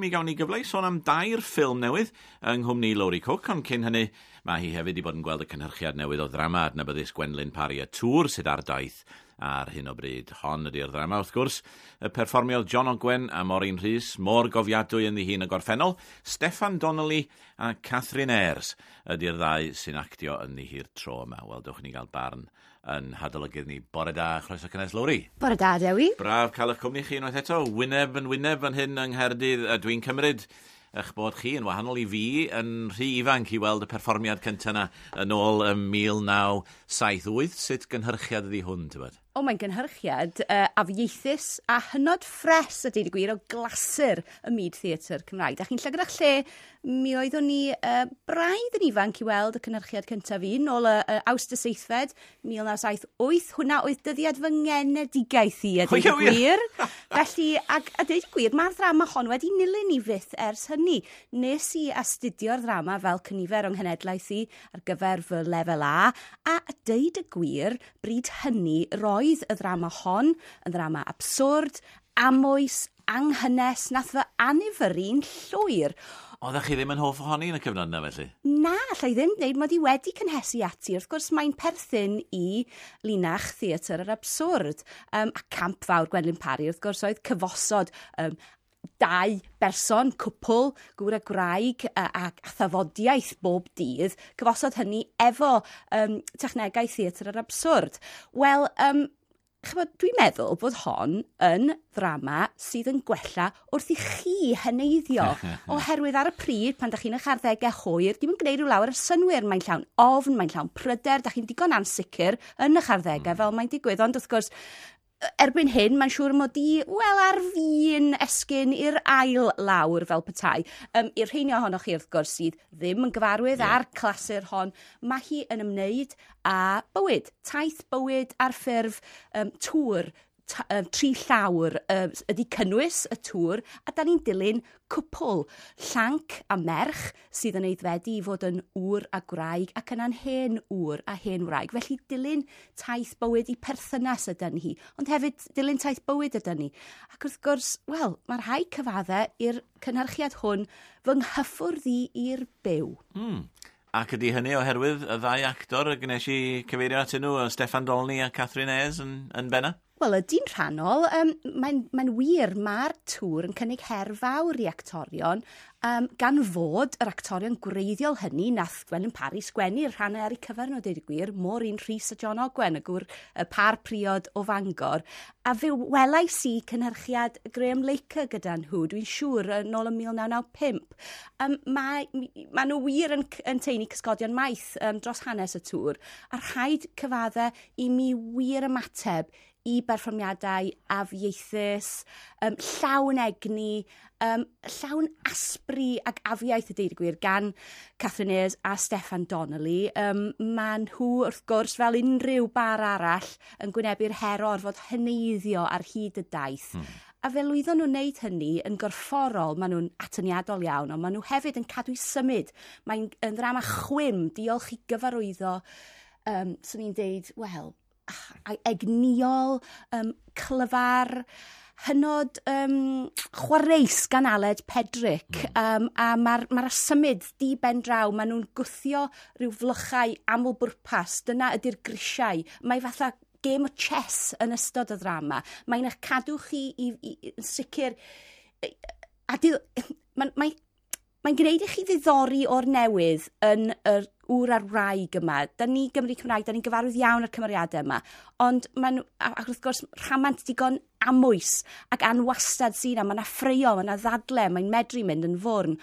Mi gawn ni gyfle i sôn am dair ffilm newydd yng nghwmni Lowri Cooke, ond cyn hynny mae hi hefyd 'di bod yn gweld y cynhyrchiad newydd o ddrama adnabyddus Gwenlyn Parry, Y Tŵr, sydd ar daith ar hyn o bryd. Hon ydy'r ddrama, wrth gwrs, y perfformiodd John Ogwen a Maureen Rhys, mor gofiadwy ynddi hi yn y gorffennol. Steffan Donnelly a Catherine Ayres ydy'r ddau sy'n actio ynddi hi'r tro yma. Wel, dewch i ni gael barn yn hadolygydd ni. Bore da, chroeso cynnes Lowri. Bore da, Dewi. Braf cael eich cwmni chi unwaith eto, wyneb yn wyneb fan hyn yng Nghaerdydd. A dwi'n cymryd eich bod chi yn wahanol i fi yn rhy ifanc i weld y perfformiad cyntaf yna yn ôl ym 1978. Sut gynhyrchiad ydi hwn, tybed? O, mae'n gynhyrchiad afieithus a hynod ffres, a deud y gwir, o glasur y myd theatr Cymraeg. Da chi'n llygad eich lle, mi oeddwn ni braidd yn ifanc i weld y cynhyrchiad cyntaf un, nôl y, y Awst y Seithfed, 1978. Hwna oedd dyddiad fy ngenedigaeth i, a deud y gwir. Felly, ac, a deud y gwir, mae'r ddrama hon wedi nilyn i fyth ers hynny. Nes i astudio'r ddrama fel cynifer o'n nghenedlaeth i ar gyfer fy lefel A, a deud y gwir, bryd hynny, roedd y ddrama hon yn ddrama abswrd, amwys, anghynnes, nath fy annifyrru'n llwyr. Oeddech chi ddim yn hoff ohoni yn y cyfnod yna felly? Na, allai ddim dweud mod i wedi cynhesu ati. Wrth gwrs, mae'n perthyn i linach theatr yr abswrd. A camp fawr Gwenlyn Parry, wrth gwrs, oedd cyfosod dau berson, cwpl, gŵr a gwraig, a thafodiaeth bob dydd, cyfosod hynny efo technegau theatr yr abswrd. Wel, ch'mod, dwi'n meddwl bod hon yn ddrama sydd yn gwella wrth i chi heneiddio. Oherwydd ar y pryd, pan da chi'n eich arddegau hwyr, dim yn gwneud rhyw lawer o synnwyr. Mae'n llawn ofn, mae'n llawn pryder, da chi'n digon ansicr yn eich arddegau fel mae'n digwydd. Ond wrth gwrs, erbyn hyn, mae'n siŵr mod i, wel, ar fin esgyn i'r ail lawr fel petai. I'r rheini ohonoch chi, wrth gwrs, sydd ddim yn gyfarwydd â'r clasur hon, mae hi yn ymwneud â bywyd, taith bywyd ar ffurf tŵr, tri llawr, ydy cynnwys y tŵr, a da ni'n dilyn cwpl, llanc a merch sydd yn aeddfedu i fod yn ŵr a gwraig ac yna'n hen ŵr a hen wraig. Felly dilyn taith bywyd i perthynas ydy hi, ond hefyd dilyn taith bywyd ydy ni. Ac wrth gwrs, wel, mae rhai cyfadde i'r cynhyrchiad hwn fy nghyffwrdd i i'r byw. Ac ydy hynny oherwydd y ddau actor y gwnes i cyfeirio atyn nhw, Steffan Dolny a Catherine Ayres yn benna? Wel, ydy'n rhannol. Mae'n wir, mae'r tŵr yn cynnig her fawr i actorion, gan fod yr actorion gwreiddiol hynny nath Gwenlyn Parry sgwennu'r rhannau ar eu cyfer nhw, deud y gwir, Maureen Rhys a John Ogwen, y gŵr, y par priod o Fangor. A fe welais i cynhyrchiad Graham Laker gyda nhw, dwi'n siŵr, yn ôl ym 1995. Mae nhw wir yn teini cysgodion maith dros hanes y tŵr, a rhaid cyfadde i mi wir ymateb i berfformiadau afieithus, llawn egni, llawn asbri ac afiaith y deud y gwir gan Catherine Ayres a Steffan Donnelly. Maen nhw, wrth gwrs, fel unrhyw bar arall, yn gwynebu'r her o orfod heneiddio ar hyd y daith. A fe lwyddon nhw'n wneud hynny yn gorfforol, maen nhw'n atyniadol iawn, ond maen nhw hefyd yn cadw i symud. Mae'n yn ddrama chwim, diolch i gyfarwyddo, swn i'n deud, wel, egniol, clyfar, hynod chwareus gan Aled Pedrick. A mae'r symud di ben draw, maen nhw'n gwthio rhyw flychau amlbwrpas, dyna ydy'r grisiau. Mae fatha game o chess yn ystod y ddrama. Mae'n eich cadw chi i yn sicr... A mae'n gwneud i chi ddiddori o'r newydd yn yr ŵr a'r wraig yma. Da ni Gymry Cymraeg, da ni'n gyfarwydd iawn â'r cymeriadau yma. Ond maen nhw, ac wrth gwrs, rhamant digon amwys ac anwastad sydd yna. Mae yna ffraeo, mae yna ddadle, mae'n medru mynd yn fwrn.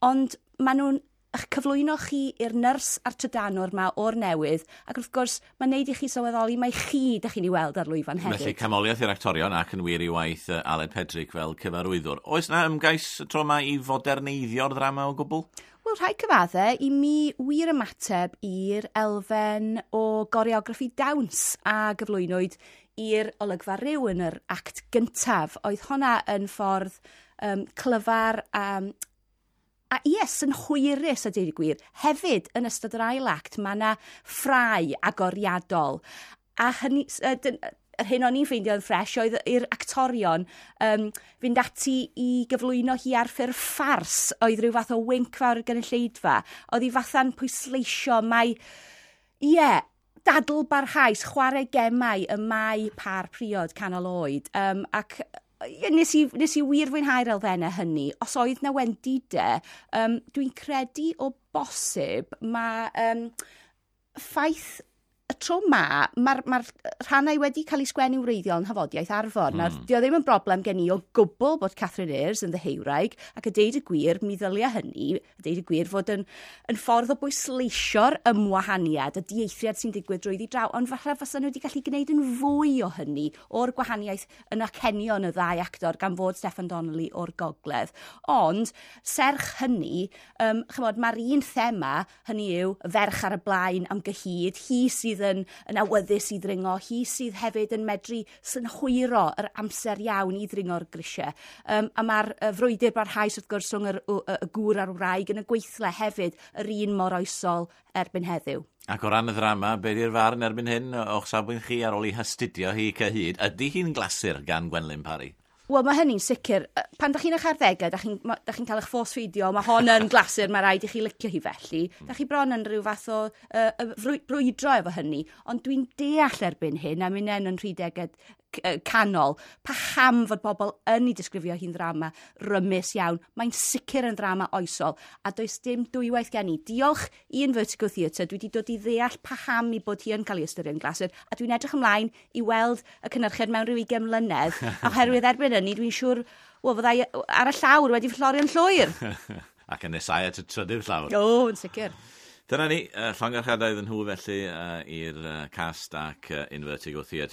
Ond maen nhw'n eich cyflwyno chi i'r nyrs a'r trydanwr ma o'r newydd, ac wrth gwrs, mae'n neud i chi sylweddoli mai chi dych chi'n ei weld ar lwyfan hefyd. Felly, camoliaeth i'r actorion ac yn wir i waith Aled Pedrick fel cyfarwyddwr. Oes na ymgais y tro yma i foderneiddio'r ddrama o gwbl? Wel, rhaid cyfadde i mi wir ymateb i'r elfen o goreograffi dawns a gyflwynwyd i'r olygfa ryw yn yr act gyntaf. Oedd honna yn ffordd clyfar a ie, synhwyrus a deud y gwir. Hefyd, yn ystod yr ail act, mae yna ffrau agoriadol. A hynny, Yr hyn o'n i'n ffeindio'n ffres oedd i'r actorion fynd ati i gyflwyno hi ar ffurf ffars, oedd rhyw fath o winc fawr i'r gynulleidfa. Oedd hi fatha'n pwysleisio mai, ie, dadl barhaus, chwarae gemau y mae par priod canol oed. Ac ie, nes i wir fwynhau'r elfennau hynny. Os oedd na wendidau, dwi'n credu o bosib mae ffaith y tro ma, mae'r rhannau wedi cael eu sgwennu wreiddiol yn nhafodiaith Arfor. Nawr, dio ddim yn broblem gen i o gwbl bod Catherine Ayres yn ddeheuwraig, ac a deud y gwir, mi ddylia hynny, a deud y gwir, fod yn ffordd o bwysleisio'r ymwahaniad, y dieithriad sy'n digwydd drwyddi draw, ond falle fysa nhw wedi gallu gwneud yn fwy o hynny, o'r gwahaniaeth yn acenion y ddau actor, gan fod Steffan Donnelly o'r gogledd. Ond, serch hynny, chymod, mae'r un thema, hynny yw, y ferch ar y blaen am gyhyd, hi sydd yn awyddus i ddringo, hi sydd hefyd yn medru synhwyro yr amser iawn i ddringo'r grisiau. A mae'r frwydr barhaus wrth gwrs rhwng y gŵr a'r wraig yn y gweithle hefyd yr un mor oesol erbyn heddiw. Ac o ran y ddrama, be di'r farn erbyn hyn o'ch safbwynt chi ar ôl i hastudio hi cyhyd? Ydy hi'n glasur gan Gwenlyn Parry? Wel, mae hynny'n sicr. Pan da chi'n eich arddegau, da chi'n cael eich force feedio, mae hon yn glasur, mae rhaid i chi licio hi felly. Da chi bron yn rhyw fath o brwydro efo hynny. Ond dwi'n deall erbyn hyn, a minnen yn rhidegau canol, paham fod bobl yn ei disgrifio hi'n ddrama rymus iawn. Mae'n sicr yn ddrama oesol, a does dim dwywaith gen i. Diolch i Invertigo Theatre, dwi wedi dod i ddeall paham i bod hi yn cael ei ystyried yn glasur, a dwi'n edrych ymlaen i weld y cynhyrchiad mewn rhyw 20 mlynedd, oherwydd erbyn hynny dwi'n siŵr, wel, fyddai ar y llawr wedi fflorio'n llwyr. Ac yn nesau at y trydydd llawr. O, yn sicr. Dyna ni, llongyfarchiadau iddyn nhw felly i'r cast ac Invertigo Theatre.